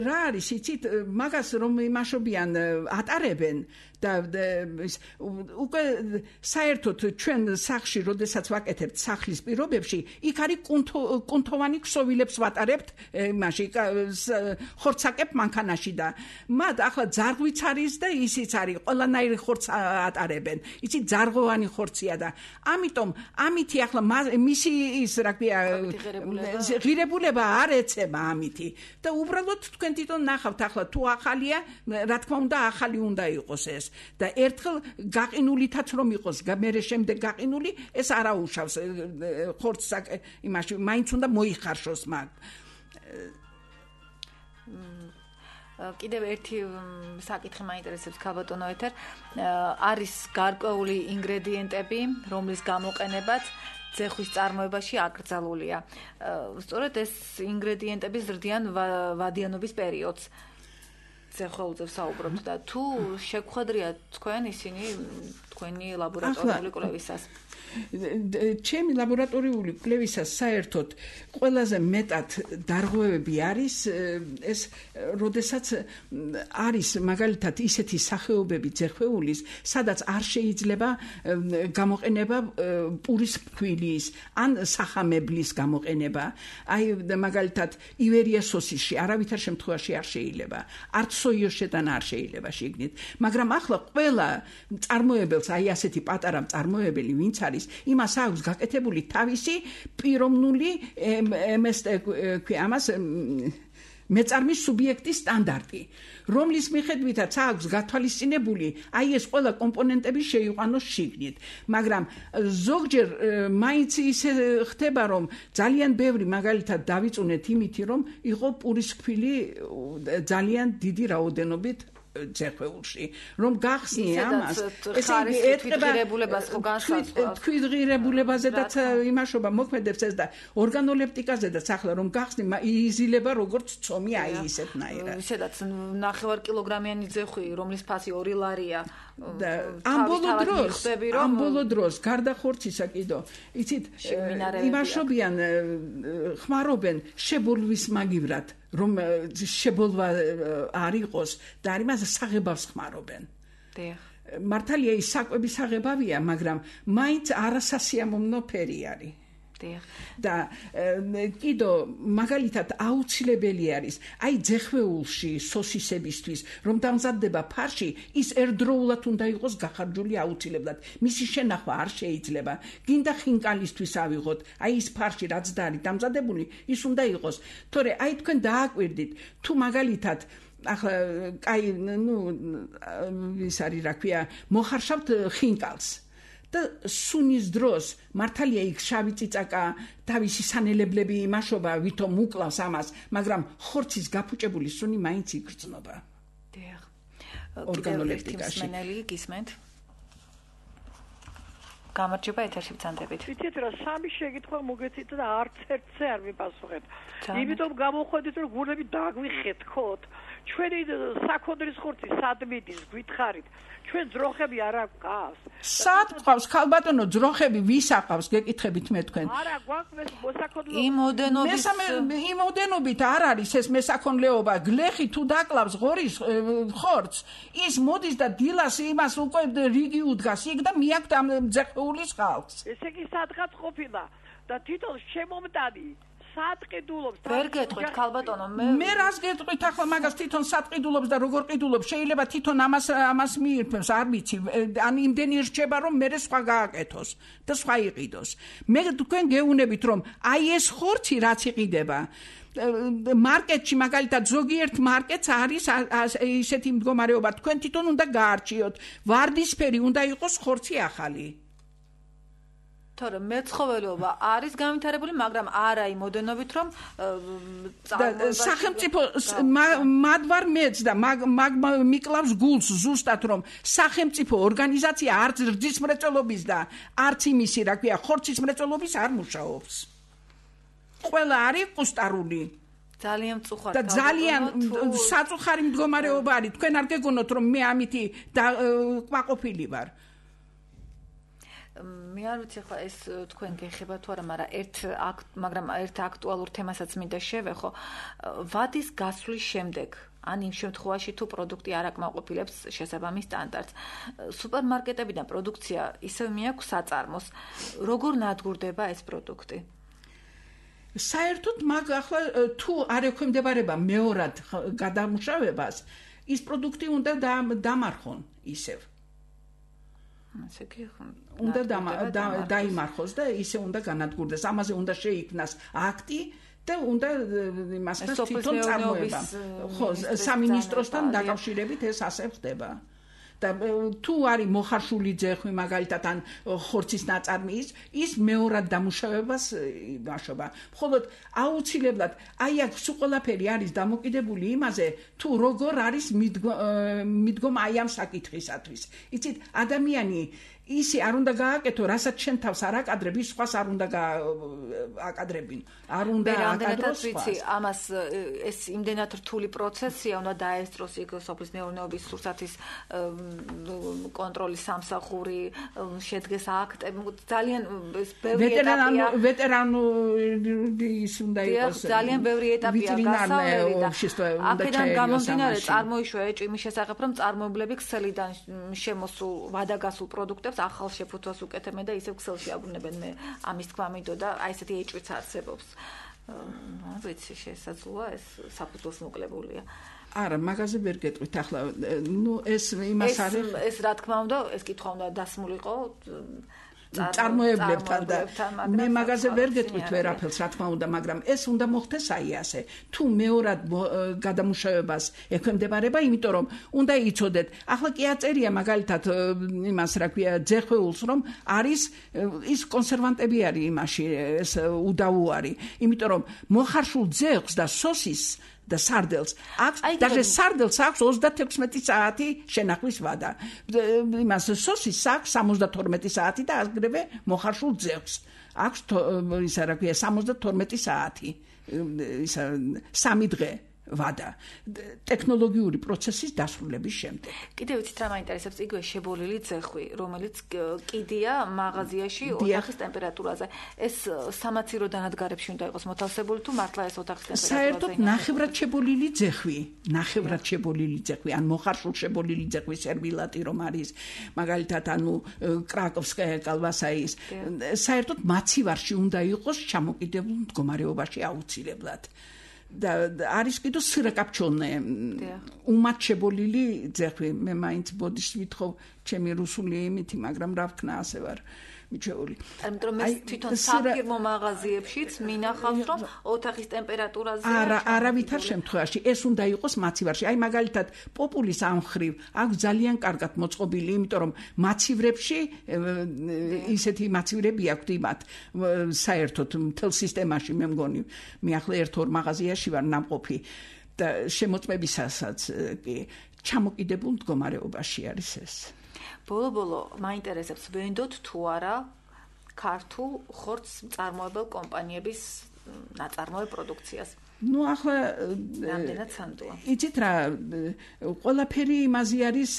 რა არის იცით მაგას რომ იმაშობიან ატარებენ და უკვე საერთოდ ჩვენ სახში როდესაც ვაკეთებთ სახლის პირობებში იქ არის კუნთოვანი ქსოვილებს ვატარებთ იმაში ხორცაკებ მანქანაში და მათ ახლა ძარღვიც არის და ისიც არის ყველანაირი ხორც ატარებენ იცით ძარღვოვანი ხორცია და ამიტომ ამითი ახლა მისი ის რა ქვია ღირებულება არ ეცემა ამითი და უბრალოდ თქვენ თვითონ ნახავთ ახლა თუ ახალია რა თქმა უნდა ახალი უნდა იყოს ეს და ერთხელ გაყინულითაც რომ იყოს მერე შემდეგ გაყინული ეს არაუშავს ხორცს იმაში მაინც უნდა მოიხარშოს მაგ კიდევ ერთი საკითხი მაინტერესებს ქალბატონო ეთერ არის გარკვეული ინგრედიენტები რომლის გამოყენებაც ძეხვის წარმოებაში აკრძალულია. სწორედ ეს ინგრედიენტები ზრდიან ვადიანობის პერიოდს. ძეხველზე საუბრობთ და თუ შეგხვედრია თქვენ ისინი თქვენი ლაბორატორიული კვლევისას? ჩემი ლაბორატორიული კვლევისას საერთოდ ყველაზე მეტად დარღვევები არის ეს, როდესაც არის მაგალითად ისეთი სახეობები ძეხვეულის, სადაც არ შეიძლება გამოყენება პურის ფქვილის ან სახამებლის გამოყენება. აი მაგალითად ივერია სოსისში არავითარ შემთხვევაში არ შეიძლება. არც სოიოსშეთან არ შეიძლება შეგნით. მაგრამ ახლა ყველა წარმოებელს, აი ასეთი პატარა წარმოებელი ვინც არის, იმას აქვს გაკეთებული თავისი პიროვნული ამას მეწარმის სუბიექტის სტანდარტი, რომლის მიხედვითაც აქვს გათვალისწინებული აი ეს ყველა კომპონენტები შეიყვანოს შიგნით. მაგრამ ზოგჯერ მაინც ისე ხდება, რომ ძალიან ბევრი მაგალითად დავიწუნეთ იმითი, რომ იყო პურის ფქვილი ძალიან დიდი რაოდენობით ძეხვეულში, რომ გახსნი ამას, ესე იგი ეთყება თვითღირებულებაზედაც იმაშობა მოქმედებს ეს და ორგანოლეპტიკაზედაც ახლა რომ გახსნი იზილება როგორც ცომი აი ისეთნაირად. ისედაც 9 კილოგრამიანი ძეხვი, რომლის ფასი 2 ლარია. ამ ბოლო დროს გარდა ხორცისა კიდო იცით იმაშობიან ხმარობენ შებოლვის მაგივრად, რომ შებოლვა არ იყოს და არ იმას საღებავს ხმარობენ. მართალია ის საკვების საღებავია, მაგრამ მაინც არასასიამოვნო ფერი არის. და კიდო მაგალითად აუცილებელი არის აი ძეხვეულში სოსისებისთვის, რომ დამზადდება ფარში, ის ერთდროულად უნდა იყოს გახარჯული აუცილებლად. მისი შენახვა არ შეიძლება. გინდა ხინკალისთვის ავიღოთ, აი ის ფარში რაც და არის დამზადებული, ის უნდა იყოს. თორე აი თქვენ დააკვირდით, თუ მაგალითად ახლა კაი ის არის რა ქვია, მოხარშავთ ხინკალს და სუნის დროს მართალია იქ შავი წიწაკა თავისი სანელებლები იმაშობა, ვითომ უკლავს ამას, მაგრამ ხორცის გაფუჭებული სუნი მაინც იგრძნობა. ორგანოლეპტიკაში. გისმენთ? გამარჯობა, ეთერში ვცანდებით. ვიცით რა, სამი შეკითხვა მოგეცით და არც ერთზე არ მიპასუხეთ. იმიტომ გამოходит, რომ გულები დაგვიხეთქოთ. ჩვენი საქონლის ხორცი სად მიდის, გითხარით. ჩვენ ძროხები არ აქვს. სად ყავს ხალბატონო ძროხები ვის აყავს გეკითხებით მე თქვენ? არა, გვაქვს მოსაქონლეობა. იმოდენობით არ არის ეს მესაქონლეობა. გლეხი თუ დაკლავს ღორის ხორცს, ის მოდის და დილას იმას უკვე რიგი უდგას იქ და მიაქვთ ამ ძეხვეულის ხალხს. ესე იგი სადღაც ყოფილა და თვითონ შემომტანი სატყიდულობს. ვერ გეტყვით ხალბატონო, მე რას გეტყვით ახლა მაგას თვითონ სატყიდულობს და როგორ ყიდულობს, შეიძლება თვითონ ამას მიირთმევს, არ ვიცი, ან იმდენი რჩება რომ მე სხვა გააკეთოს და სხვა იყიდოს. მე თქვენ გეუნებით რომ აი ეს ხორცი რაც იყიდება მარკეტში მაგალითად ზოგიერთ მარკეტს არის ისეთი მდგომარეობა, თქვენ თვითონ უნდა გაარჩიოთ, ვარდისფერი უნდა იყოს ხორცი ახალი. თორე მეცხოველეობა არის განვითარებული, მაგრამ არა იმოდენობით, რომ სახელმწიფო მადვარ მეც და მიკლავს გულს ზუსტად, რომ სახელმწიფო ორგანიზაცია არც რძის მრეწველობის და არც იმისი, რა ქვია, ხორცის მრეწველობის არ მუშაობს. ყველა არის კუსტარული. ძალიან მწუხართ. და ძალიან საწუხარი მდგომარეობა არის. თქვენ არ გეგონოთ, რომ მე ამითი კვაყოფილი ვარ. მე არ ვიცი ხა ეს თქვენ გეხება თუ არა, მაგრამ ერთ აქტუალურ თემასაც მინდა შევეხო. ვადის გასვლის შემდეგ, ან იმ შემთხვევაში თუ პროდუქტი არ აკმაყოფილებს შესაბამის სტანდარტს, სუპერმარკეტებიდან პროდუქცია ისევ მიაქვს საწარმოს. როგორ ნადგურდება ეს პროდუქტი? საერთოდ მაგ ახლა თუ არ ექვემდებარება მეორად გადამუშავებას, ის პროდუქტი უნდა დამარხონ ისევ. ასე კი უნდა დაიმარხოს და ისე უნდა განადგურდეს. ამაზე უნდა შეიქმნას აქტი და უნდა იმასთან თვითონ წარმოება. ხო, სამინისტროსთან დაკავშირებით ეს ასე ხდება. და თუ არის მოხარშული ძეხვი მაგალითად ან ხორცის ნაწარმი ის მეორად დამუშავებას იმაშობა. მხოლოდ აუცილებლად აი აქ სულ ყველაფერი არის დამოკიდებული იმაზე, თუ როგორ არის მიდგომა აი ამ საკითხისათვის. იცით, ადამიანი ისი არ უნდა გააკეთო, რასაც შენ თავს არ აკადრები, სხვას არ უნდა აკადრებინ. არ უნდა აკადროს ვიცი, ამას ეს იმდენად რთული პროცესია, უნდა დაესწროს იქ სოფლის მეურნეობის სურსათის კონტროლის სამსახური, შედგეს აქტები, ძალიან ბევრი ეტაპია. ვეტერანის უნდა იყოს. ძალიან ბევრი ეტაპია გასავლელი და აქედან გამომდინარე წარმოიშვა ეჭვი მის შესახებ, რომ წარმოებლები ქსელიდან შემოსულ ვადაგასულ პროდუქტებს ახალ შეფუთვას უკეთებენ და ისევ ქსელში აბრუნებენ. მე ამის თქმა მინდო და აი ესეთი ეჭვიც არსებობს. ვიცი, შესაძლოა ეს საფუძველს მოკლებულია. არა, მაგაზე ვერ გეტყვით ახლა. ეს იმას არის. ეს რა თქმა უნდა, ეს კითხვა უნდა დასმულიყო წარმოებლებთან და მე მაგაზე ვერ გეტყვით ვერაფერს, რა თქმა უნდა, მაგრამ ეს უნდა მოხდეს აი ასე. თუ მეორად გადამუშავებას ექვემდებარება, იმიტომ რომ უნდა იცოდეთ, ახლა კი აწერია მაგალითად იმას, რა ქვია, ძეხვეულს, რომ არის ის კონსერვანტები არის იმაში, ეს უდაუარი, იმიტომ რომ მოხარშულ ძეხვს და სოსის და სარდელს აქვს, даже სარდელს აქვს 36 საათი შენახვის ვადა. იმას სოსის აქვს 72 საათი და აგრევე მოხარშულ ძევს. აქვს ისა რა ქვია 72 საათი. ისა 3 დღე ვადა ტექნოლოგიური პროცესის დასრულების შემდეგ. კიდევ ვიცით რა მაინტერესებს, იგივე შებოლილი ძეხვი, რომელიც კიდია მაღაზიაში ოთახის ტემპერატურაზე. ეს სამაციროდან ადგარებში უნდა იყოს მოთავსებული თუ მართლა ეს ოთახის ტემპერატურაზე? საერთოდ ნახევრად შებოლილი ძეხვი, ან მოხარშულ შებოლილი ძეხვი სერვილატი რომ არის, მაგალითად ანუ კრაკოვსკაია კალბასაის, საერთოდ მაცივარში უნდა იყოს ჩამოკიდებულ მდგომარეობაში აუცილებლად. და არის კიდო სირაკაპჩონე უმად შებოლილი ძეხვი. მე მაინც ბოდიშს ვითხოვ ჩემი რუსული იმითი, მაგრამ რა ვქნა ასე ვარ მიჩეული. ამიტომ ეს თვითონ საფირმო მაღაზიებშიც მინახავს, რომ ოთახის ტემპერატურაზე არავითარ შემთხვევაში ეს უნდა იყოს მაცივარში. აი მაგალითად პოპულის ამხრივ აქვს ძალიან კარგად მოწყობილი, იმიტომ რომ მაცივრებში ისეთი მაცივრები აქვთ იმათ საერთოდ მთელ სისტემაში მე მგონი. მე ახლა ერთ-ორ მაღაზიაში ვარ ნამყოფი და შემოწმებისასაც კი ჩამოკიდებულ მდგომარეობაში არის ეს. ბოლო მაინტერესებს ვენდოთ თუ არა ქართულ ხორცს მწარმოებელ კომპანიების ნაწარმოებ პროდუქციას. ახლა რამდენად სანდოა. იცით რა, ყველაფერი იმაზე არის,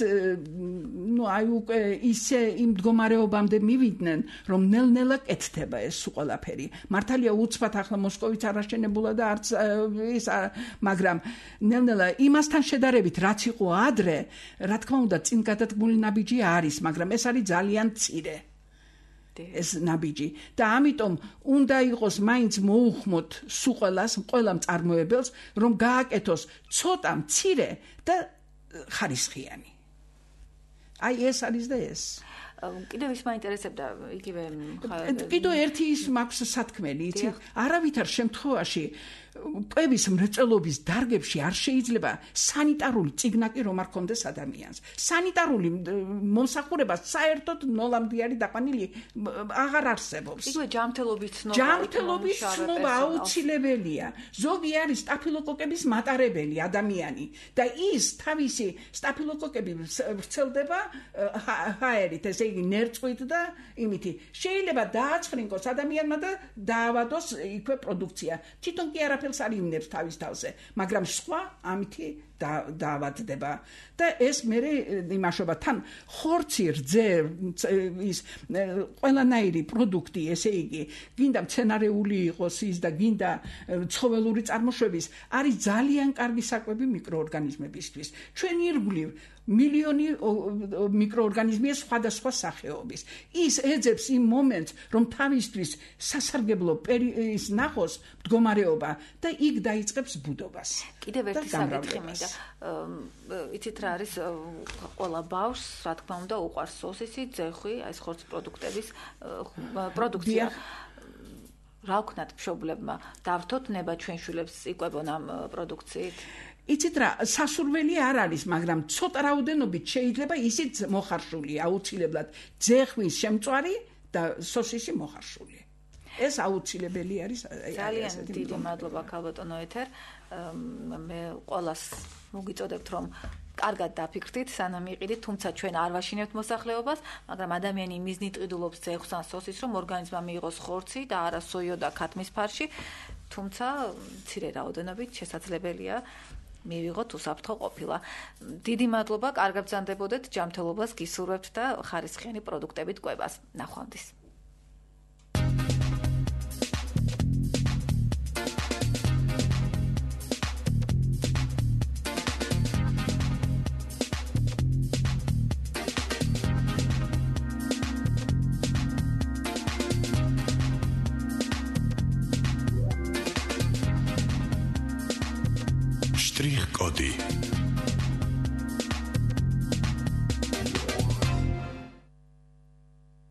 აი უკვე ისე იმ მდგომარეობამდე მივიდნენ, რომ ნელ-ნელა კეთდება ეს ყველაფერი. მართალია უცბად ახლა მოსკოვიც არ აშენებულა და არც ის, მაგრამ ნელ-ნელა იმასთან შედარებით, რაც იყო ადრე, რა თქმა უნდა, წინ გადადგმული ნაბიჯი არის, მაგრამ ეს არის ძალიან მცირე. ეს ნაბიჯი და ამიტომ უნდა იყოს მაინც მოუხმოთ სუყელას, ყველა მწარმოებელს, რომ გააკეთოს ცოტა მცირე და ხარისხიანი. აი ეს არის და ეს. კიდევ ის მაინტერესებდა იგივე კიდევ ერთი ის მაქვს სათქმელი, იცი? არავითარ შემთხვევაში კვების მრეწველობის დარგებში არ შეიძლება სანიტარული წიგნაკი რომ არ ქონდეს ადამიანს. სანიტარული მომსახურება საერთოდ ნოლამდე არის დაყვანილი, აღარ არსებობს. იგივე ჯანმრთელობის ცნობა აუცილებელია. ზოგი არის სტაფილოკოკების მატარებელი ადამიანი და ის თავისი სტაფილოკოკები ვრცელდება ჰაერით, ესე იგი ნერწყვით და იმითი. შეიძლება დააცხრინკოს ადამიანმა და დაავადოს იქვე პროდუქცია. თვითონ კი არაფერს არ იმნებს თავის თავზე, მაგრამ სხვა ამითი დაავადდება და ეს მე იმაშობა თან ხორცი რძე ის ყველანაირი პროდუქტი, ესე იგი გინდა მცენარეული იყოს ის და გინდა ცხოველური წარმოშობის, არის ძალიან კარგი საკვები მიკროორგანიზმებისთვის. ჩვენი ირგვლივ მილიონი მიკროორგანიზმია სხვადასხვა სახეობის. ის ეძებს იმ მომენტს, რომ თავისთვის სასარგებლო ის ნახოს მდგომარეობა და იქ დაიწყებს ბუდობას. კიდევ ერთი საკითხი მინდა. იცით რა არის ყველა ბავშვს, რა თქმა უნდა, უყვარს სოსისი, ძეხვი, ეს ხორცის პროდუქტების პროდუქცია. რა ვქნათ მშობლებმა? დავრთოთ ნება ჩვენ შვილებს იკვებონ ამ პროდუქციით? იცით რა, სასურველი არ არის, მაგრამ ცოტა რაოდენობით შეიძლება ისიც მოხარშული, აუცილებლად ძეხვის შემწვარი და სოსისი მოხარშული. ეს აუცილებელი არის. ძალიან დიდი მადლობა ქალბატონო ეთერ. მე ყველას მოგიწოდებთ, რომ კარგად დაფიქრდით, სანამ იყიდით, თუმცა ჩვენ არ ვაშინებთ მოსახლეობას, მაგრამ ადამიანი მიზნით ყიდულობს ძეხს ან სოსის, რომ ორგანიზმმა მიიღოს ხორცი და არა სოიო და ქათმის ფარში, თუმცა მცირე რაოდენობით შესაძლებელია მივიღოთ უსაფრთხო ყოფილა. დიდი მადლობა, კარგად ბრძანდებოდეთ, ჯანმრთელობას გისურვებთ და ხარისხიანი პროდუქტებით კვებას. ნახვამდის. Штрих-коди